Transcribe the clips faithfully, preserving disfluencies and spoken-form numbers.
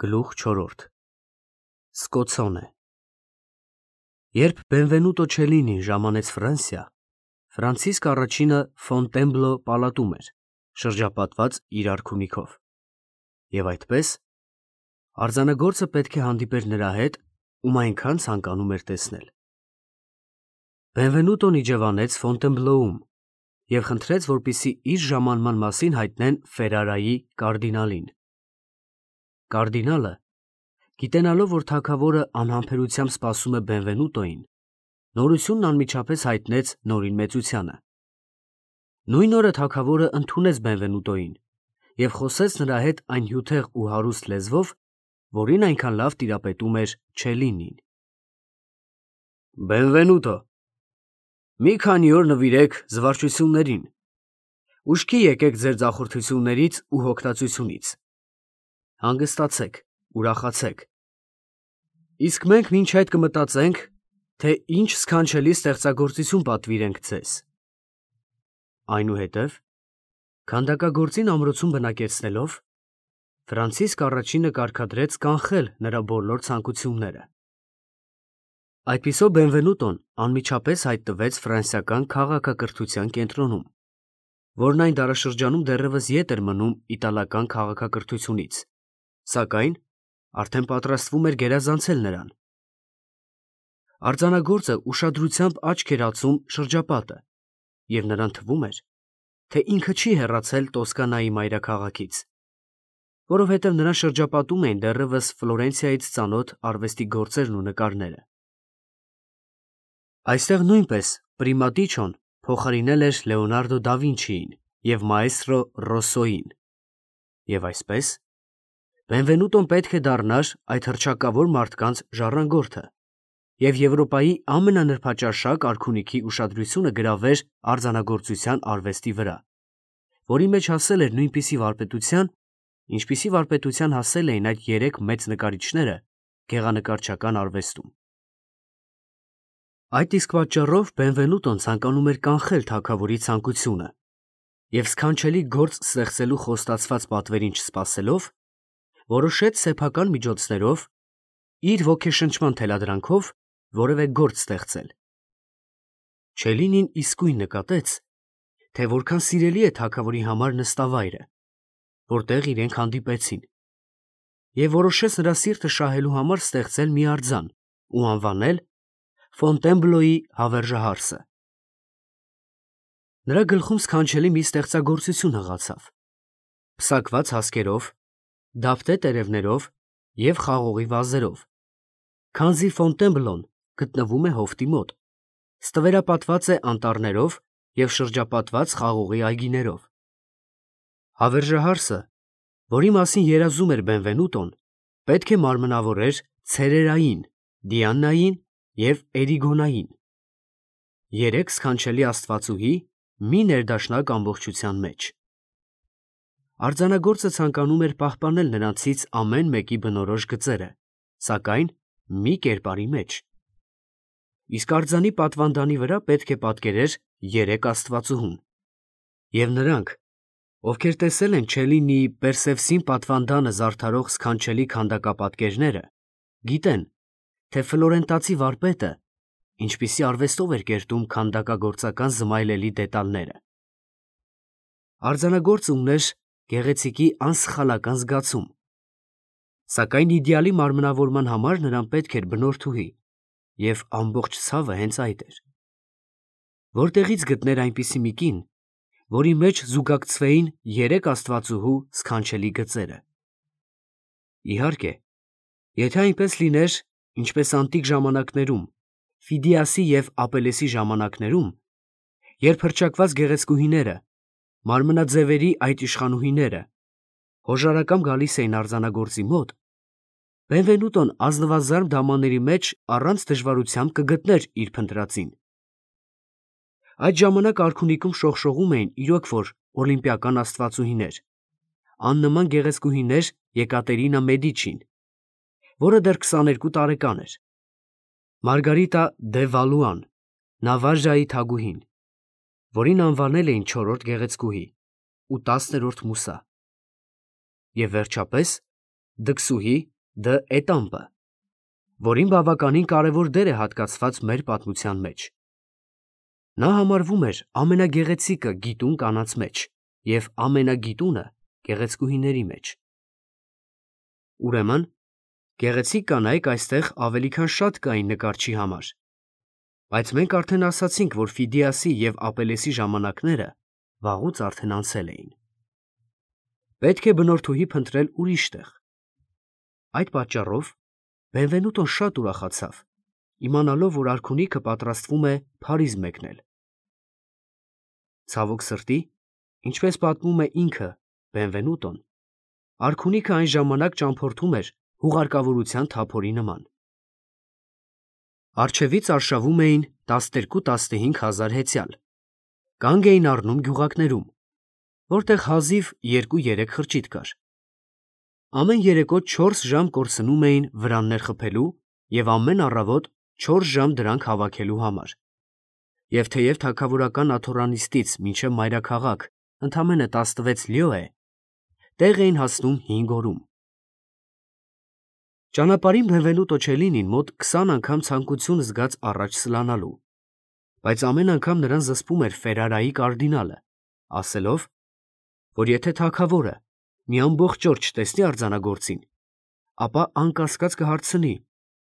Գլուխ չորրորդ Սկոցոնե Երբ Բենվենուտո Չելինին ժամանեց Ֆրանսիա, Ֆրանցիսկ առաջինը Ֆոնտենբլո պալատում էր, շրջապատված իր արքունիքով, և այդպես արձանագործը պետք է հանդիպեր նրա հետ, ում այնքան ցանկանում էր տեսնել։ Բենվենուտոն իջևանեց Ֆոնտենբլոում և խնդրեց, որպեսզի իր ժամանման մասին հայտնեն Ֆերարայի կարդինալին։ Կարդինալը, գիտենալով, որ թագավորը անհամբերությամբ սպասում է Բենվենուտոյին, նորությունն անմիջապես հայտնեց նորին մեծությանը։ Նույն օրը թագավորը ընդունեց Բենվենուտոյին և խոսեց նրա հետ այն հյութեղ ու հարուստ լեզվով, որին այնքան լավ տիրապետում էր Չելինին։ Բենվենուտո, մի քանի օր նվիրեք զվարճություններին, ուշքի եկեք ձեր ձախորդություններից ու հոգնածությունից, հանգստացեք, ուրախացեք, իսկ մենք մինչ այդ կմտածենք, թե ինչ սքանչելի ստեղծագործություն պատվիրենք ձեզ։ Այնուհետև, քանդակագործին ամրոցում բնակեցնելով, Ֆրանցիսկ առաջինը կարգադրեց կանխել նրա բոլոր ցանկությունները։ Այդպիսով Բենվենուտոն անմիջապես հայտնվեց ֆրանսիական քաղաքակրթության կենտրոնում, որն այն դարաշրջանում դեռևս ետ էր մնում իտալական քաղաքակրթությունից, սակայն արդեն պատրաստվում էր գերազանցել նրան։ Արձանագործը ուշադրությամբ աչք էր ածում շրջապատը, և նրան թվում էր, թե ինքը չի հեռացել Տոսկանայի մայրաքաղաքից, որովհետև նրան շրջապատում էին դեռևս Ֆլորենցիայից ծանոթ արվեստի գործերն ու նկարները։ Այստեղ նույնպես Պրիմատիչոն փոխարինել էր Լեոնարդո դա Վինչիին և մաեստրո Ռոսսոյին, և այսպես Բենվենուտոն պետք է դառնար այդ հռչակավոր մարդկանց ժառանգորդը և Եվրոպայի ամենանրբաճաշակ արքունիքի ուշադրությունը գրավեր արձանագործության արվեստի վրա, որի մեջ հասել էր նույնպիսի վարպետության, ինչպիսի վարպետության հասել էին այդ երեք մեծ նկարիչները գեղանկարչական արվեստում։ Այդ իսկ պատճառով Բենվենուտոն ցանկանում էր կանխել թագավորի ցանկությունը և սքանչելի գործ ստեղծելու խոստացված պատվերին չսպասելով, որոշեց սեփական միջոցներով, իր ոգեշնչման թելադրանքով որևէ գործ ստեղծել։ Չելինին իսկույն նկատեց, թե որքան սիրելի է թագավորի համար նստավայրը, որտեղ իրենք հանդիպեցին, և որոշեց նրա սիրտը շահելու համար ստեղծել մի արձան ու անվանել Ֆոնտենբլոյի հավերժահարսը։ Նրա գլխում սքանչելի մի ստեղծագործություն հղացավ, պսակված հասկերով, դափտե տերևներով և խաղողի վազերով, քանզի Ֆոնտենբլոն գտնվում է հովտի մոտ, ստվերապատված է անտառներով և շրջապատված խաղողի այգիներով։ Հավերժահարսը, որի մասին երազում էր Բենվենուտոն, պետք է մարմնավորեր ցերերային, դիանային և էրիգոնային, երեք սքանչելի աստվածուհի մի ներդաշնակ ամբողջության մեջ։ Արձանագործը ցանկանում էր պահպանել նրանցից ամեն մեկի բնորոշ գծերը, սակայն մի կերպարի մեջ, իսկ արձանի պատվանդանի վրա պետք է պատկերեր երեք աստվածուհուն, և նրանք, ովքեր տեսել են Չելինիի Պերսևսին պատվանդանը զարդարող սքանչելի քանդակապատկերները, գիտեն, թե ֆլորենտացի վարպետը ինչպիսի արվեստով էր կերտում քանդակագործական զմայլելի դետալները։ Արձանագործը ուներ գեղեցիկի անսխալական զգացում, սակայն իդեալի մարմնավորման համար նրան պետք էր բնորդուհի, և ամբողջ ցավը հենց այդ էր։ Որտեղի՞ց գտներ այնպիսի մի կին, որի մեջ զուգակցվեին երեք աստվածուհու սքանչելի գծերը։ Իհարկե, եթե այնպես լիներ, ինչպես անտիկ ժամանակներում, Ֆիդիասի և Ապելեսի ժամանակներում, երբ հռչակված գեղեցկուհիները, մարմնաձևերի այդ իշխանուհիները, հոժարակամ գալիս էին արձանագործի մոտ, Բենվենուտոն ազնվազարդ դամանների մեջ առանց դժվարությամբ կգտներ իր փնտրածին։ Այդ ժամանակ արքունիքում շողշողում էին իրոք որ օլիմպիական աստվածուհիներ, աննման գեղեցկուհիներ Եկատերինա Մեդիչին, որը դեռ քսաներկու տարեկան էր, Մարգարիտա դե Վալուան, Նավարժայի թագուհին, որին անվանել էին չորրորդ գեղեցկուհի, ու տասներորդ Մուսա, և վերջապես դքսուհի Դ. Էտամպը, որին բավականին կարևոր դեր է հատկացված մեր պատմության մեջ։ Նա համարվում էր ամենագեղեցիկը գիտուն կանանց մեջ և ամենագիտունը գեղեցկուհիների մեջ։ Ուրեմն, գեղեցիկ կանայք այստեղ ավելի քան շատ կային նկարչի համար, բայց մենք արդեն ասացինք, որ Ֆիդիասի և Ապելեսի ժամանակները վաղուց արդեն անցել էին։ Պետք է բնորդուհի փնտրել ուրիշ տեղ։ Այդ պատճառով Բենվենուտոն շատ ուրախացավ, իմանալով, որ արքունիքը պատրաստվում է Փարիզ մեկնել։ Ցավոք սրտի, ինչպես պատմում է ինքը Բենվենուտոն, արքունիքը այն ժամանակ ճամփորդում էր հուղարկավորության թափորի նման։ Առջևից արշավում էին տասներկու-տասնհինգ հազար հեծյալ, կանգ էին առնում գյուղակներում, որտեղ հազիվ երկու-երեք խրճիթ կար։ Ամեն երեկո չորս ժամ կորսնում էին վրաններ խփելու և ամեն առավոտ չորս ժամ դրանք հավաքելու համար։ Եվ թեև թագավորական աթոռանիստից մինչև մայրաքաղաք ընդամենը տասնվեց լյո է, տեղ էին հասնում հինգ օրում։ Ճանապարհին Բենվենուտո Չելինին մոտ քսան անգամ ցանկություն զգաց առաջ սլանալու, բայց ամեն անգամ նրան զսպում էր Ֆերարայի կարդինալը, ասելով, որ եթե թագավորը մի ամբողջ օր չտեսնի արձանագործին, ապա անկասկած կհարցնի,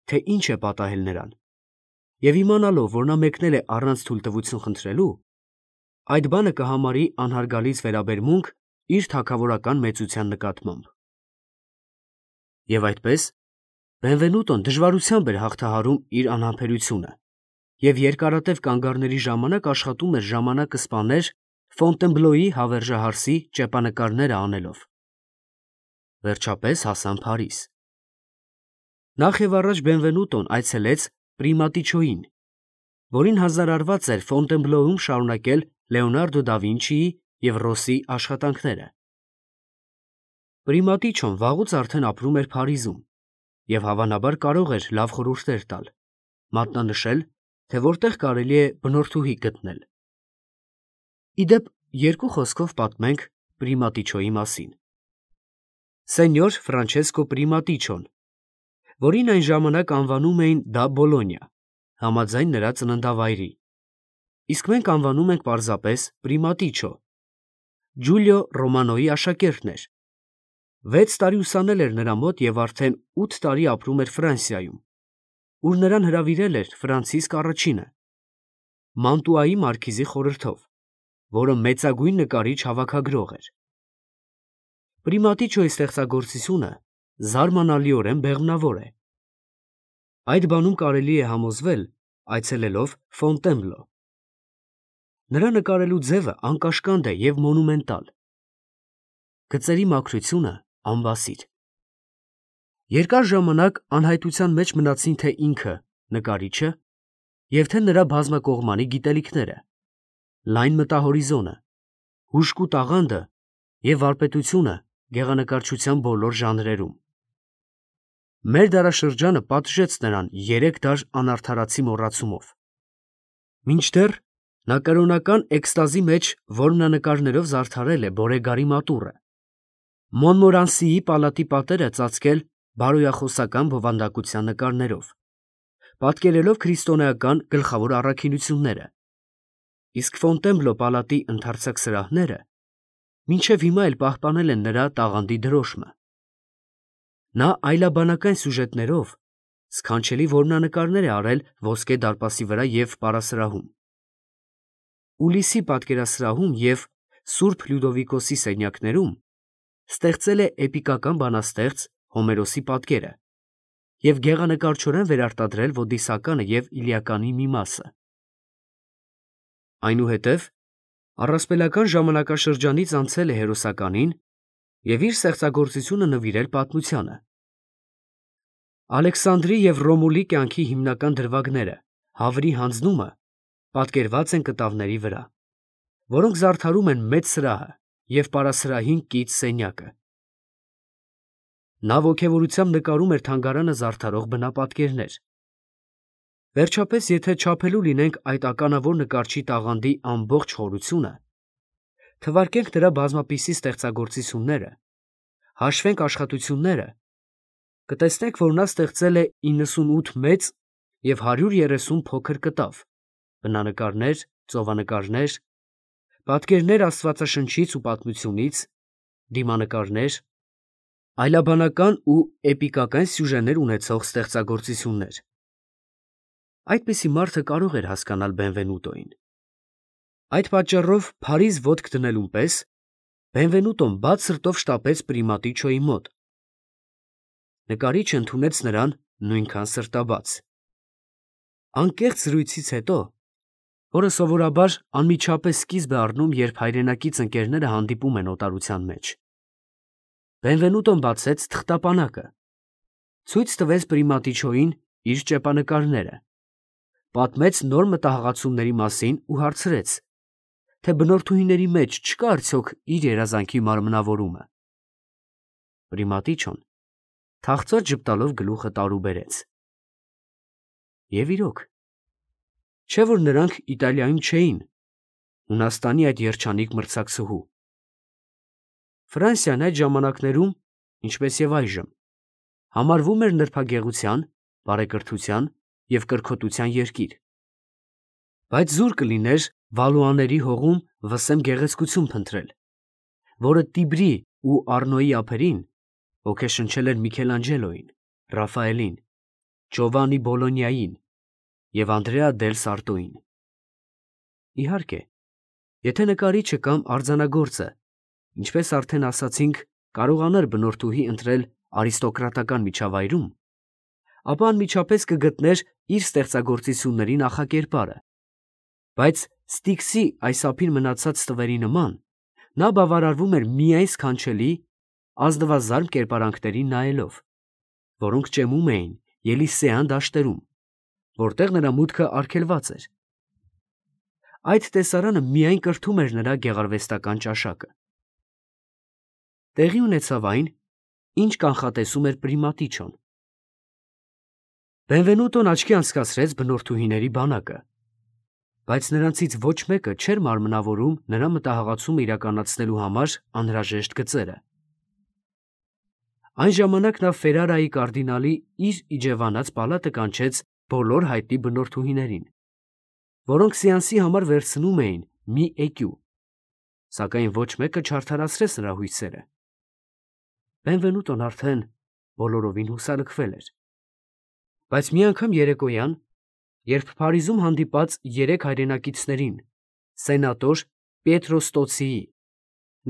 թե ինչ է պատահել նրան, և իմանալով, որ նա մեկնել է առանց թույլտվություն խնդրելու, այդ բանը կհամարի անհարգալից վերաբերմունք իր թագավորական մեծության նկատմամբ։ Եվ այդպես Բենվենուտոն դժվարությամբ էր հաղթահարում իր անհամբերությունը և երկարատև կանգառների ժամանակ աշխատում էր ժամանակը սպաներ Ֆոնտենբլոյի հավերժահարսի ճեպանկարները անելով։ Վերջապես հասան Փարիզ։ Նախ և առաջ Բենվենուտոն այցելեց Պրիմատիչոյին, որին հանձնարարված էր Ֆոնտենբլոյում շարունակել Լեոնարդո դա Վինչիի և Ռոսի աշխատանքները։ Պրիմատիչոն վաղուց արդեն ապրում էր Փարիզում և հավանաբար կարող էր լավ խորհուրդներ տալ, մատնանշել, թե որտեղ կարելի է բնորդուհի գտնել։ Ի դեպ, երկու խոսքով պատմենք Պրիմատիչոյի մասին։ Սենյոր Ֆրանչեսկո Պրիմատիչոն, որին այն ժամանակ անվանում էին դա Բոլոնիա, համաձայն նրա ծննդավայրի, իսկ մենք անվանում ենք պարզապես Պրիմատիչո, Ջուլիո Ռոմանոյի աշակերտն էր։ Վեց տարի ուսանել էր նրա մոտ և արդեն ութ տարի ապրում էր Ֆրանսիայում, ուր նրան հրավիրել էր Ֆրանցիսկ առաջինը, Մանտուայի մարքիզի խորհրդով, որը մեծագույն նկարիչ֊հավաքագրող էր։ Պրիմատիչոյի ստեղծագործությունը զարմանալիորեն բեղմնավոր է։ Այդ բանում կարելի է համոզվել այցելելով Ֆոնտենբլո։ Նրա նկարելու ձևը անկաշկանդ է և մոնումենտալ, գծերի մաքրությունը անբասիր։ Երկար ժամանակ անհայտության մեջ մնացին թե ինքը նկարիչը և թե նրա բազմակողմանի գիտելիքները, լայն մտահորիզոնը, հուժկու տաղանդը և վարպետությունը գեղանկարչության բոլոր ժանրերում։ Մեր դարաշրջանը պատժեց նրան երեք դար անարդարացի մոռացումով, մինչդեռ նա կրոնական էքստազի մեջ որմնանկարներով զարդարել է Բորեգարի մատուռը, Մոնմորանսիի պալատի պատերը ծածկել բարոյախոսական բովանդակության նկարներով, պատկերելով քրիստոնեական գլխավոր առաքինությունները, իսկ Ֆոնտենբլո պալատի ընդարձակ սրահները մինչև հիմա էլ պահպանել են նրա տաղանդի դրոշմը։ Նա այլաբանական սյուժետներով սքանչելի որմնանկարներ է արել Ոսկե դարպասի վրա և պարասրահում, Ուլիսի պատկերասրահում և Սուրբ Լյուդովիկոսի սենյակներում ստեղծել է էպիկական բանաստեղծ Հոմերոսի պատկերը և գեղանկարչորեն վերարտադրել Ոդիսականը և Իլիականի մի մասը։ Այնուհետև առասպելական ժամանակաշրջանից անցել է հերոսականին և իր ստեղծագործությունը նվիրել պատմությանը։ Ալեքսանդրի և Ռոմուլի կյանքի հիմնական դրվագները, Հավրի հանձնումը, պատկերված են կտավների վրա, որոնք զարդարում են մեծ սրահը և պարասրահին կից սենյակը։ Նա ոգևորությամբ նկարում էր թանգարանը զարդարող բնապատկերներ։ Վերջապես, եթե չափելու լինենք այդ ականավոր նկարչի տաղանդի ամբողջ խորությունը, թվարկենք նրա բազմապիսի ստեղծագործությունները, հաշվենք աշխատությունները, կտեսնեք, որ նա ստեղծել է իննսունութ մեծ և հարյուր երեսուն փոքր կտավ, բնանկարներ, ծովանկարներ, պատկերներ Աստվածաշնչից ու պատմությունից, դիմանկարներ, այլաբանական ու էպիկական սյուժեներ ունեցող ստեղծագործություններ։ Այդպիսի մարդը կարող էր հասկանալ Բենվենուտոին։ Այդ պատճառով Փարիզ ոտք դնելուն պես Բենվենուտոն բաց սրտով շտապեց Պրիմատիչոյի մոտ։ Նկարիչը ընդունեց նրան նույնքան սրտաբաց։ Անկեղծ զրույցից հետո, որը սովորաբար անմիջապես սկիզբ է առնում, երբ հայրենակից ընկերները հանդիպում են օտարության մեջ, Բենվենուտոն բացեց թղթապանակը, ցույց տվեց Պրիմատիչոյին իր ճեպանկարները, պատմեց նոր մտահղացումների մասին ու հարցրեց, թե բնորդուհիների մեջ չկա արդյոք իր երազանքի մարմնավորումը։ Պրիմատիչոն թախծոց ժպտալով գլուխը տարուբերեց։ Եվ իրոք, չէ՞ որ նրանք Իտալիայում չէին, Հունաստանի այդ երջանիկ մրցակցուհու։ Ֆրանսիան այդ ժամանակներում, ինչպես և այժմ, համարվում էր նրբագեղության, բարեկրթության և կրքոտության երկիր, բայց զուր կլիներ Վալուաների հողում վսեմ գեղեցկություն փնտրել, որը Տիբրի ու Առնոյի ափերին ոգեշնչել էր Միքելանջելոյին, Ռաֆայելին, Ջովանի Բոլոնիային և Անդրեա դել Սարտոյին։ Իհարկե, եթե նկարիչը կամ արձանագործը, ինչպես արդեն ասացինք, կարողանար բնորդուհի ընտրել արիստոկրատական միջավայրում, ապա անմիջապես կգտներ իր ստեղծագործությունների նախակերպարը, բայց Ստիքսի այս ափին մնացած տվերի նման, նա բավարարվում էր միայն սքանչելի, ազնվազարմ կերպարանքներին նայելով, որոնք ճեմում էին Ելիսեյան դաշտերում, որտեղ նրա մուտքը արգելված էր։ Այդ տեսարանը միայն կրթում էր նրա գեղարվեստական ճաշակը։ Տեղի ունեցավ այն, ինչ կանխատեսում էր Պրիմատիչոն։ Բենվենուտոն աչքի անցկացրեց բնորդուհիների բանակը, բայց նրանցից ոչ մեկը չէր մարմնավորում նրա մտահղացումը իրականացնելու համար անհրաժեշտ գծերը։ Այն ժամանակ նա Ֆերարայի կարդինալի իր իջևանած պալատը կանչեց բոլոր հայտնի բնորդուհիներին, որոնք սեանսի համար վերցնում էին մի էկյու, սակայն ոչ մեկը չարդարացրեց նրա հույսերը։ Բենվենուտոն արդեն բոլորովին հուսալքվել էր։ Բայց մի անգամ երեկոյան, երբ Փարիզում հանդիպած երեք հայրենակիցներին, սենատոր Պիետրո Ստոցիի,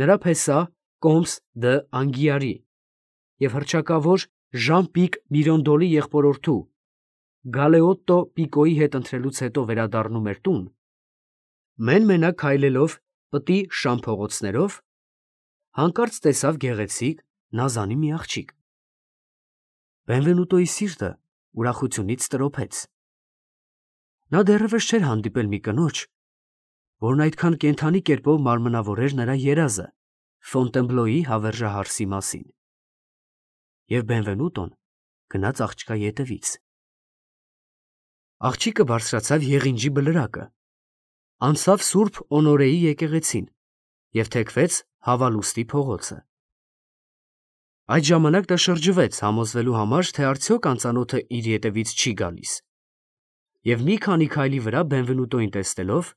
նրա փեսա Կոմս դը Անգիարի և հռչակավոր Ժան֊Պիկ Միրոնդոլի եղբորորդու Գալեոտտո Պիկոյի հետ ընթրելուց հետո վերադառնում էր տուն, մեն֊մենակ քայլելով պտի Շամ փողոցներով, հանկարծ տեսավ գեղեցիկ, նազանի մի աղջիկ։ Բենվենուտոյի սիրտը ուրախությունից տրոփեց։ Նա դեռևս չէր հանդիպել մի կնոջ, որն այդքան կենդանի կերպով մարմնավորեր նրա երազը Ֆոնտենբլոյի հավերժահարսի մասին։ Եվ Բենվենուտոն գնաց աղջկա ետևից։ Աղջիկը բարձրացավ եղինջի բլրակը, անցավ Սուրբ Օնորեի եկեղեցին և թեքվեց Հավալուստի փողոցը։ Այդ ժամանակ նա շրջվեց համոզվելու համար, թե արդյոք անծանոթը իր ետևից չի գալիս, և մի քանի քայլի վրա Բենվենուտոյին տեսնելով,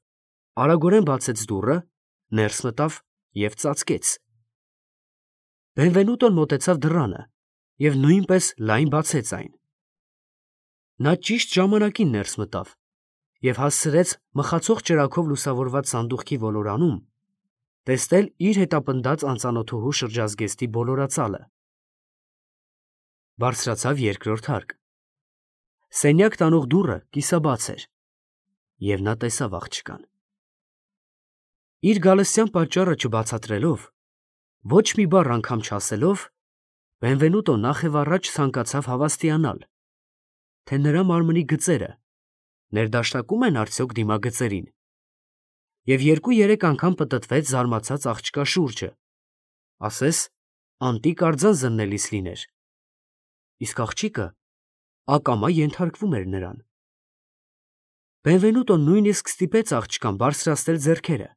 արագորեն բացեց դուռը, ներս մտավ և ծածկեց։ Բենվենուտոն մոտեցավ դռանը և նույնպես լայն բացեց այն։ Նա ճիշտ ժամանակին ներս մտավ և հասցրեց մխացող ճրագով լուսավորված սանդուղքի ոլորանում տեսնել իր հետապնդած անծանոթուհու շրջազգեստի բոլորածալը։ Բարձրացավ երկրորդ հարկ։ Սենյակ տանող դուռը կիսաբաց էր, և նա տեսավ աղջկան։ Իր գալստյան պատճառը չբացատրելով, ոչ մի բառ անգամ չասելով, Բենվենուտոն նախ և առաջ ցանկացավ հավաստիանալ, թե նրա մարմնի գծերը ներդաշնակում են արդյոք դիմագծերին, և երկու֊երեք անգամ պտտվեց զարմացած աղջկա շուրջը, ասես անտիկ արձան զննելիս լիներ, իսկ աղջիկը ակամա ենթարկվում էր նրան։ Բենվենուտոն նույնիսկ ստիպեց աղջկան բարձրացնել ձեռքերը,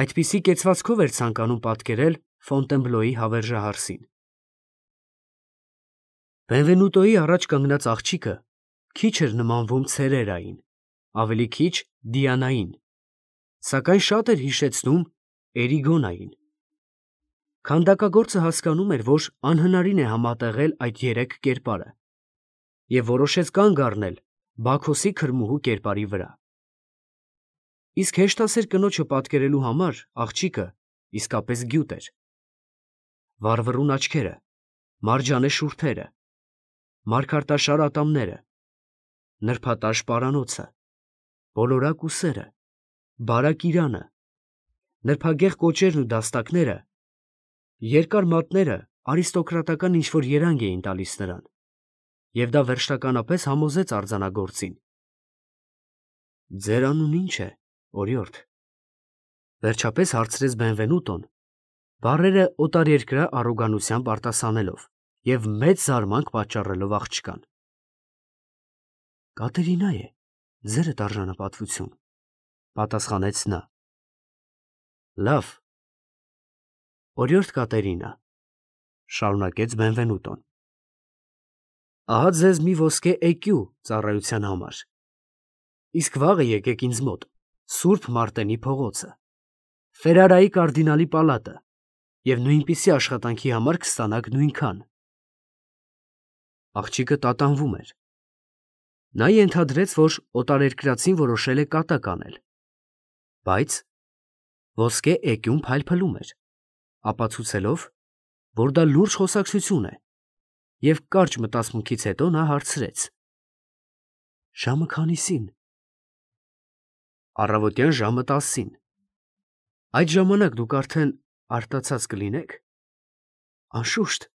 այդպիսի կեցվածքով էր ցանկանում պատկերել Ֆոնտենբլոյի հավերժահարսին։ Բենվենուտոյի առաջ կանգնած աղջիկը քիչ էր նմանվում ցերերային, ավելի քիչ Դիանային, սակայն շատ էր հիշեցնում Էրիգոնային։ Քանդակագործը հասկանում էր, որ անհնարին է համատեղել այդ երեք կերպարը, և որոշեց կանգ առնել Բաքոսի քրմուհու կերպարի վրա։ Իսկ հեշտասեր կնոջը պատկերելու համար աղջիկը իսկապես գյուտ էր։ Վառվռուն աչքերը, մարջանե շուրթերը, մարգարտաշար ատամները, նրբատաշ պարանոցը, բոլորակ ուսերը, բարակ իրանը, նրբագեղ կոճերն ու դաստակները, երկար մատները արիստոկրատական ինչ-որ երանգ էին տալիս նրան, և դա վերջնականապես համոզեց արձանագործին։ «Ձեր անունն ի՞նչ է, օրիորդ», վերջապես հարցրեց Բենվենուտոն, բառերը օտարերկրյա առոգանությամբ արտասանելով և մեծ զարմանք պատճառելով աղջկան։ «Կատերինա է, ձերդ արժանապատվություն», պատասխանեց նա։ «Լավ, օրիորդ Կատերինա», շարունակեց Բենվենուտոն, ահա ձեզ մի ոսկե էկյու ծառայության համար, իսկ վաղը եկեք ինձ մոտ, Սուրբ Մարտենի փողոցը, Ֆերարայի կարդինալի պալատը, և նույնպիսի աշխատանքի համար կստանաք նույնքան»։ Աղջիկը տատանվում էր։ Նա ենթադրեց, որ օտարերկրացին որոշել է կատակ անել, բայց ոսկե էկյուն փայլփլում էր, ապացուցելով, որ դա լուրջ խոսակցություն է, և կարճ մտածմունքից հետո նա հարցրեց. «Ժամը քանիսին»։ «Առավոտյան ժամը տասին»։ «Այդ ժամանակ դուք արդեն արտացած կլինեք»։ «Անշուշտ»։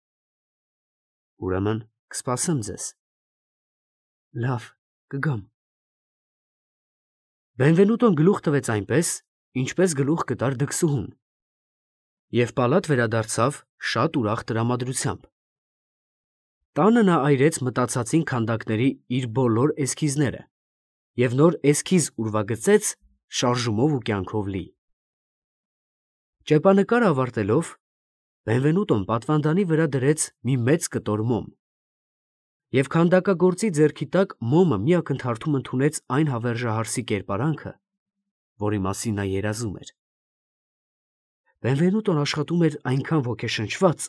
«Ուրեմն կսպասեմ ձեզ»։ «Լավ, կգամ»։ Բենվենուտոն գլուխ տվեց այնպես, ինչպես գլուխ կտար դքսուհուն, և պալատ վերադարձավ շատ ուրախ տրամադրությամբ։ Տանը նա այրեց մտածածին քանդակների իր բոլոր էսքիզները և նոր էսքիզ ուրվագծեց շարժումով ու կյանքով լի։ Ճեպանկարը ավարտելով, Բենվենուտոն պատվանդանի վրա դրեց մի մեծ կտոր մոմ, և քանդակագործի ձեռքի տակ մոմը մի ակնթարթում ընդունեց այն հավերժահարսի կերպարանքը, որի մասին նա երազում էր։ Բենվենուտոն աշխատում էր այնքան ոգեշնչված,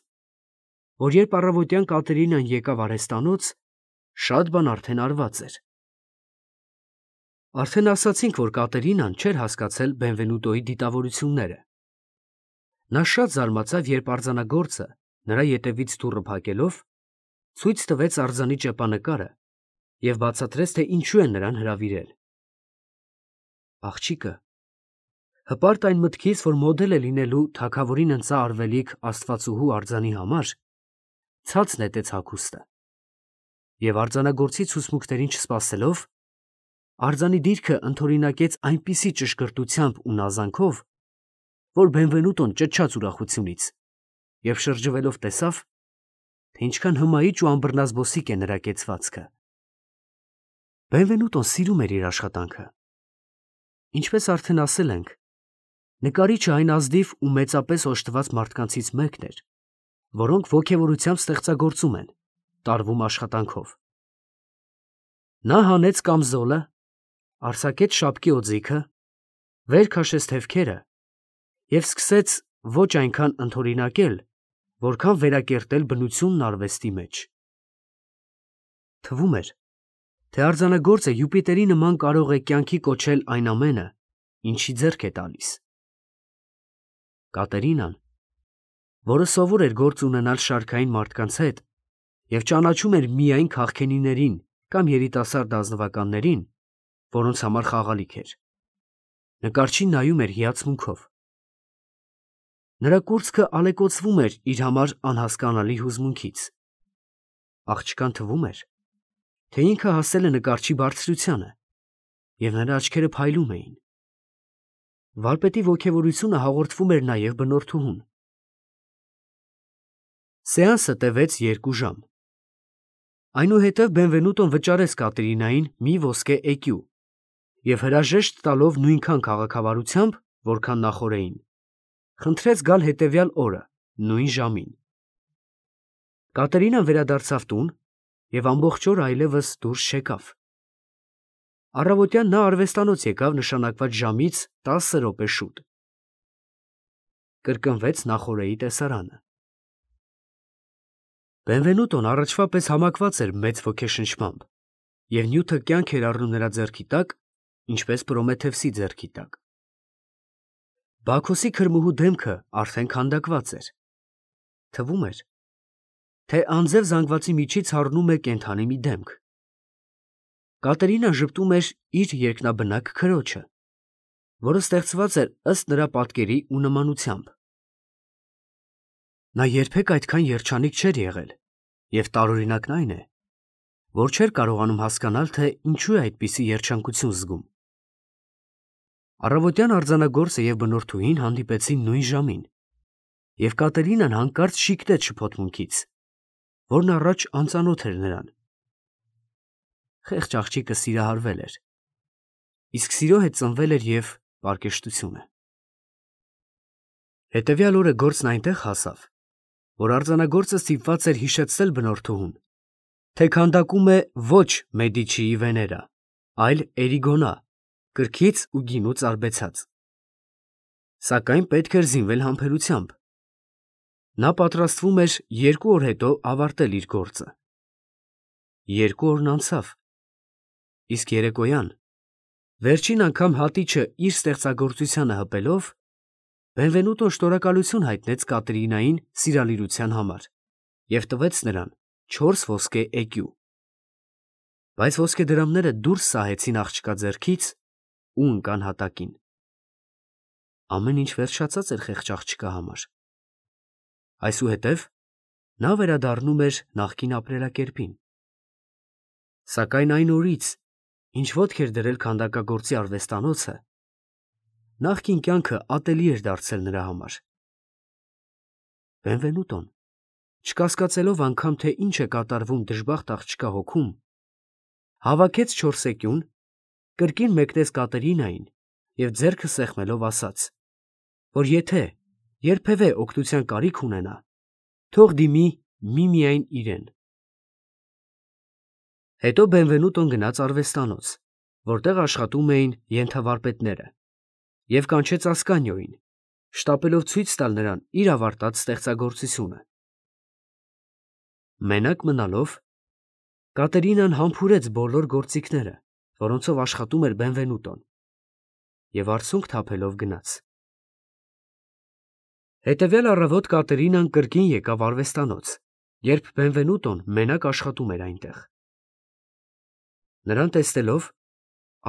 որ երբ առավոտյան Կատերինան եկավ արհեստանոց, շատ բան արդեն արված էր։ Արդեն ասացինք, որ Կատերինան չէր հասկացել Բենվենուտոյի դիտավորությունները։ Նա շատ զարմացավ, երբ արձանագործը, նրա ետևից դուռը փակելով, ցույց տվեց արձանի ճեպանկարը և բացատրեց, թե ինչու են նրան հրավիրել։ Աղջիկը, հպարտ այն մտքից, որ մոդել է լինելու թագավորին ընծա արվելիք աստվածուհու արձանի համար, ցած նետեց հագուստը և արձանագործի ցուցմունքներին չսպասելով, արձանի դիրքը ընդօրինակեց այնպիսի ճշգրտությամբ ու նազանքով, որ Բենվենուտոն ճչաց ուրախությունից և շրջվելով տեսավ, թե ինչքան հմայիչ ու անբռնազբոսիկ է նրա կեցվածքը։ Բենվենուտոն սիրում էր իր աշխատանքը։ Ինչպես արդեն ասել ենք, նկարիչը այն ազնիվ ու մեծապես օժտված մարդկանցից մեկն էր, որոնք ոգևորությամբ ստեղծագործում են, տարվում աշխատանքով։ Նա հանեց կամզոլը, արձակեց շապկի օձիքը, վեր քաշեց թևքերը և սկսեց ոչ այնքան ընդօրինակել, որքան վերակերտել բնությունն արվեստի մեջ։ Թվում էր, թե արձանագործը Յուպիտերի նման կարող է կյանքի կոչել այն ամենը, ինչի ձեռք է տալիս։ Կատերինան, որը սովոր էր գործ ունենալ շարքային մարդկանց հետ և ճանաչում էր միայն քաղքենիներին կամ երիտասարդ ազնվականներին, որոնց համար խաղալիք էր, նկարչին նայում էր հիացմունքով։ Նրա կուրծքը ալեկոծվում էր իր համար անհասկանալի հուզմունքից։ Աղջկան թվում էր, թե ինքը հասել է նկարչի բարձրությանը, և նրա աչքերը փայլում էին։ Վարպետի ոգևորությունը հաղորդվում էր նաև բնորդուհուն։ Սեանսը տևեց երկու ժամ։ Այնուհետև Բենվենուտոն վճարեց Կատերինային մի ոսկե էկյու և հրաժեշտ տալով նույնքան քաղաքավարությամբ, որքան նախօրեին, խնդրեց գալ հետևյալ օրը նույն ժամին։ Կատերինան վերադարձավ տուն և ամբողջ օր այլևս դուրս չեկավ։ Առավոտյան նա արվեստանոց եկավ նշանակված ժամից տասը րոպե շուտ։ Կրկնվեց նախօրեի տեսարանը։ Բենվենուտոն առաջվա պես համակված էր մեծ ոգեշնչմամբ, և նյութը կյանք էր առնում նրա ձեռքի տակ, ինչպես Պրոմեթևսի ձեռքի տակ։ Բաքոսի քրմուհու դեմքը արդեն քանդակված էր։ Թվում էր, թե անձև զանգվածի միջից հառնում է կենդանի մի դեմք։ Կատերինան ժպտում էր իր երկնաբնակ քրոջը, որը ստեղծված էր ըստ նրա պատկերի ու նմանությամբ։ Նա երբեք այդքան երջանիկ չէր եղել, և տարօրինակն այն է, որ չէր կարողանում հասկանալ, թե ինչու է այդպիսի երջանկություն զգում։ Առավոտյան արձանագործը և բնորդուհին հանդիպեցին նույն ժամին, և Կատերինան հանկարծ շիկնեց շփոթմունքից, որն առաջ անծանոթ էր նրան։ Խեղճ աղջիկը սիրահարվել էր, իսկ սիրո հետ ծնվել էր և պարկեշտությունը։ Հետևյալ օրը գործն այնտեղ հասավ, որ արձանագործը ստիպված էր հիշեցնել բնորդուհուն, թե քանդակում է ոչ Մեդիչիի Վեներա, այլ Էրիգոնա, կրքից ու գինուց արբեցած։ Սակայն պետք էր զինվել համբերությամբ։ Նա պատրաստվում էր երկու օր հետո ավարտել իր գործը։ Երկու օրն անցավ, իսկ երեկոյան, վերջին անգամ հատիչը իր ստեղծագործությանը հպելով, Բենվենուտոն շնորհակալություն հայտնեց Կատերինային սիրալիրության համար և տվեց նրան չորս ոսկե էկյու։ Բայց ոսկեդրամները դուրս սահեցին աղջկա ձեռքից ու ընկան հատակին։ Ամեն ինչ վերջացած էր խեղճ աղջկա համար։ Այսուհետև նա վերադառնում էր նախկին ապրելակերպին։ Սակայն այն օրից, ինչ ոտք էր դրել քանդակագործի արվեստանոցը, նախկին կյանքը ատելի էր դարձել նրա համար։ Բենվենուտոն, չկասկածելով անգամ, թե ինչ է կատարվում դժբախտ աղջկա հոգում, հավաքեց չորս էկյուն, կրկին մեկնեց Կատերինային և ձեռքը սեղմելով ասաց, որ եթե երբևէ օգնության կարիք ունենա, թող դիմի միմիայն իրեն։ Հետո Բենվենուտոն գնաց արվեստանոց, որտեղ աշխատում էին ենթավարպետները, և կանչեց Ասկանիոյին, շտապելով ցույց տալ նրան իր ավարտած ստեղծագործությունը։ Մենակ մնալով, Կատերինան համբուրեց բոլոր գործիքները, որոնցով աշխատում էր Բենվենուտոն, և արցունք թափելով գնաց։ Հետևյալ առավոտ Կատերինան կրկին եկավ արվեստանոց, երբ Բենվենուտոն մենակ աշխատում էր այնտեղ։ Նրան տեսնելով,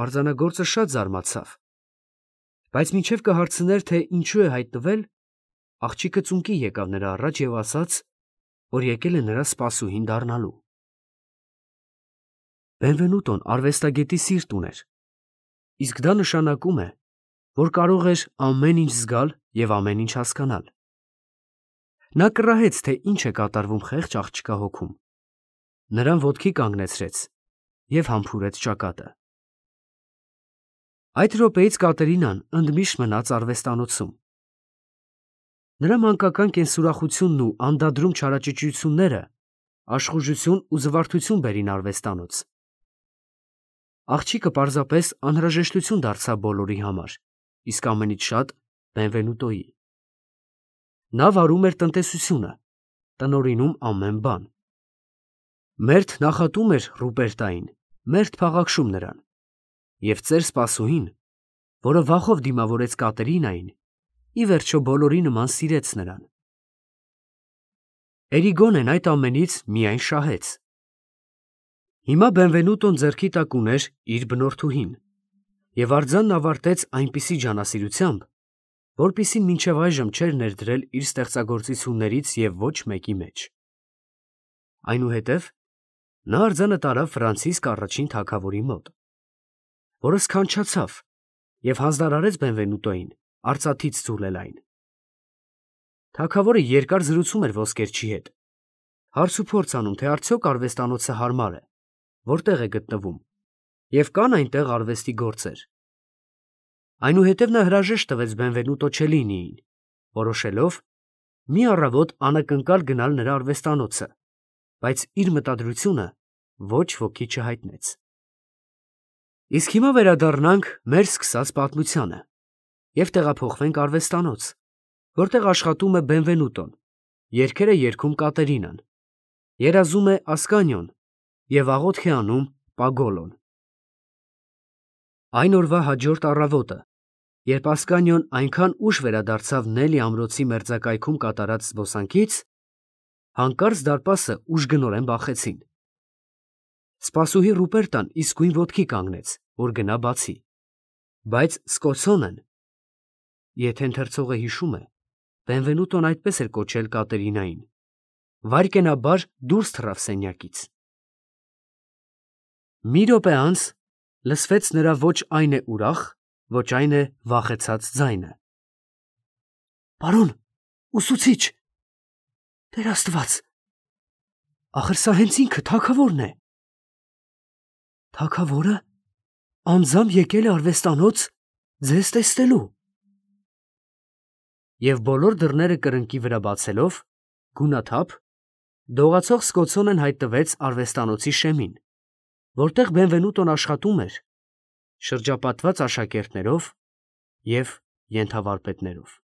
արձանագործը շատ զարմացավ, բայց մինչև կհարցներ, թե ինչու է հայտնվել, աղջիկը ծունկի եկավ նրա առաջ և ասաց, որ եկել է նրա սպասուհին դառնալու։ Բենվենուտոն արվեստագետի սիրտ ուներ, իսկ դա նշանակում է, որ կարող էր ամեն ինչ զգալ և ամեն ինչ հասկանալ։ Նա կռահեց, թե ինչ է կատարվում խեղճ աղջկա հոգում, նրան ոտքի կանգնեցրեց և համբուրեց ճակատը։ Այդ րոպեից Կատերինան ընդմիշտ մնաց արվեստանոցում։ Նրա մանկական կենսուրախությունն ու անդադրում չարաճճիությունները աշխուժություն ու զվարթություն բերին արվեստանոց։ Աղջիկը պարզապես անհրաժեշտություն դարձավ բոլորի համար, իսկ ամենից շատ Բենվենուտոյի։ Նա վարում էր տնտեսությունը, տնօրինում ամեն բան։ Մերթ նախատում էր Ռուպերտային, մերթ փաղաքշում նրան, և ծեր սպասուհին, որը վախով դիմավորեց Կատերինային, ի վերջո բոլորի նման սիրեց նրան։ Էրիգոնեն այդ ամենից միայն շահեց։ Հիմա Բենվենուտոն ձեռքի տակ ուներ իր բնորդուհին, և արձանն ավարտեց այնպիսի ջանասիրությամբ, որպիսին մինչև այժմ չէր ներդրել իր ստեղծագործություններից և ոչ մեկի մեջ։ Այնուհետև նա արձանը տարավ Ֆրանցիսկ առաջին թագավորի մոտ, որը սքանչացավ և հանձնարարեց Բենվենուտոյին արծաթից ձուլել այն։ Թագավորը երկար զրուցում էր ոսկերչի հետ, հարցուփորձ անում, թե արդյոք արվեստանոցը հարմար է, որտեղ է գտնվում, և կան այնտեղ արվեստի գործեր։ Այնուհետև նա հրաժեշտ տվեց Բենվենուտո Չելլինիին, որոշելով մի առավոտ անակնկալ գնալ նրա արվեստանոցը, բայց իր մտադրությունը ոչ ոքի չհայտնեց։ Իսկ հիմա վերադառնանք մեր սկսած պատմությանը և տեղափոխվենք արվեստանոց, որտեղ աշխատում է Բենվենուտոն, երգեր է երգում Կատերինան, երազում է Ասկանիոն և աղոթք է անում Պագոլոն։ Այն օրվա հաջորդ առավոտը, երբ Ասկանիոն այնքան ուշ վերադարձավ Նելի ամրոցի մերձակայքում կատարած զբոսանքից, հանկարծ դարպասը ուժգնորեն բախեցին։ Սպասուհի Ռուպերտան իսկույն ոտքի կանգնեց, որ գնա բացի, բայց Սկոցոնն, եթե ընթերցողը հիշում է, Բենվենուտոն այդպես էր կոչել Կատերինային, վայրկենաբար դուրս թռավ սենյակից։ Մի րոպե անց լսվեց նրա ոչ այն է ուրախ, ոչ այն է վախեցած ձայնը. Պարոն, ուսուցիչ, Տեր Աստված, ախր սա հենց ինքը թագավորն է։ Թագավորը անձամբ եկել է արվեստանոց ձեզ տեսնելու։ Եվ բոլոր դռները կրկնակի վրա բացելով, գունաթափ, դողացող Սկոցոնն հայտնվեց արվեստանոցի շեմին, որտեղ Բենվենուտոն աշխատում էր, շրջապատված աշակերտներով և ենթավարպետներով։